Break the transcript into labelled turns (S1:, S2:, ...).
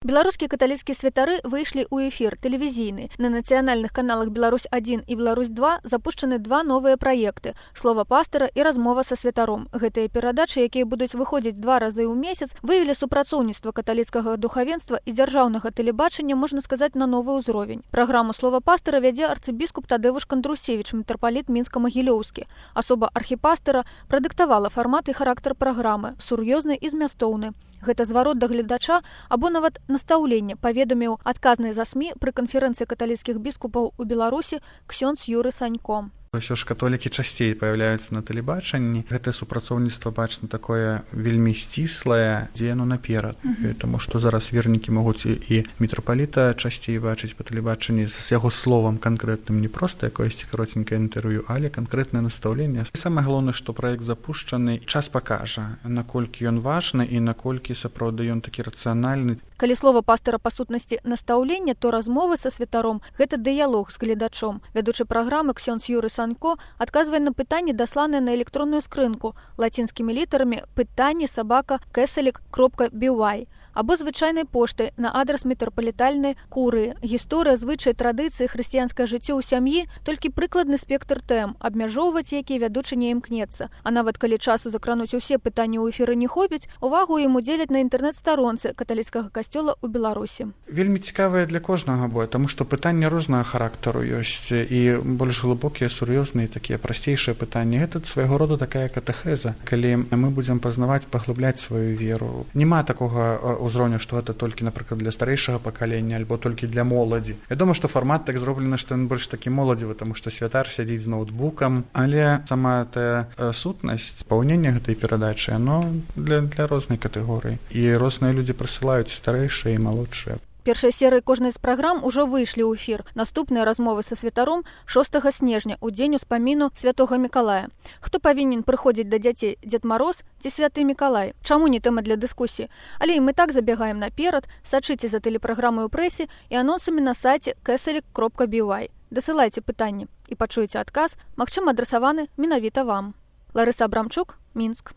S1: Беларускія каталіцкія святары выйшлі ў эфір тэлевізійны. На нацыянальных каналах «Беларусь-1» і «Беларусь-2» запушчаны два новыя праекты «Слова пастара» і «Размова са святаром». Гэтыя перадачы, якія будуць выходзіць 2 разы ў месяц, вывелі супрацоўніцтва каталіцкага духавенства і дзяржаўнага тэлебачання, можна сказаць, на новы ўзровень. Праграму «Слова пастара» вядзе арцыбіскуп Тадзеуш Кандрусевіч, мітрапаліт мінска-магілёўскі. Асоба архіпастара прадыктавала фармат і характар праграмы, сур'ёзны і змястоўны. Гэта зварот да гледача або нават настаўленне, паведаміў адказны за СМІ пры канферэнцыі каталіцкіх біскупаў у Беларусі ксёндз Юры Санько.
S2: Ўсё ж католікі часцей паяўляюцца на тэлебачанні. Гэтае супрацоўніцтва бачна такое вельмі сціслае, дзе яно наперад. Таму што зараз вернікі могуць і мітрапаліта часцей бачыць па тэлебачанні з яго словам канкрэтным, не проста якоесьці каротенькае інтэрв'ю, але канкрэтнае настаўленне. Самае галоўнае, што праект запушчаны, час пакажа, наколькі ён важны і наколькі сапраўды ён такі рацыянальны.
S1: Калі слова пастара па сутнасці настаўлення, то размовы са святаром – гэта дыялог з гледачом. Вядучы праграмы ксёндз Юры Санько адказвае на пытанні, дасланыя на электронную скрынку лацінскімі літарамі pytanie@catholic.by або звычайнай поштай на адрас мітрапалітальнай курыі. Гісторыя, звычаі, традыцыі, хрысціянскае жыццё ў сям'і – толькі прыкладны спектр тэм, абмяжоўваць які вядучы не імкнецца. А нават калі часу закрануць усе пытанні ў эфіры не хопіць, увагу ім удзеляць на інтэрнэт-старонцы каталіцкага касцёла ў Беларусі.
S2: Вельмі цікавыя для кожнага бою, таму што пытанні рознага характару ёсць і больш глыбокія, сур'ёзныя, такія прасцейшыя пытанні. Гэта свайго роду такая катэхеза, калі мы будзем пазнаваць, паглыбляць сваю веру. Нема такога узроўню, што гэта толькі, напрыклад, для старэйшага пакалення альбо толькі для моладзі. Вядома, што фармат так зроблены, што ён больш такі моладзевы, таму што святар сядзіць з ноутбукам, але сама тая сутнасць, спаўнення гэтай перадачы, яно для рознай катэгорыі. І розныя людзі прысылаюць, старэйшыя і малодшыя.
S1: Першыя серыі кожнай з праграм ужо выйшлі ў эфір. Наступныя размовы са святаром 6 снежня, у дзень успаміну святога Мікалая. Хто павінен прыходзіць да дзяцей, Дзед Мароз ці святы Мікалай? Чаму не тэма для дыскусіі? Але і мы так забягаем наперад, сачыце за тэлепраграмай у прэсе і анонсамі на сайце catholic.by. Дасылайце пытанні і пачуеце адказ, магчыма, адрасаваны менавіта вам. Ларыса Абрамчук, Мінск.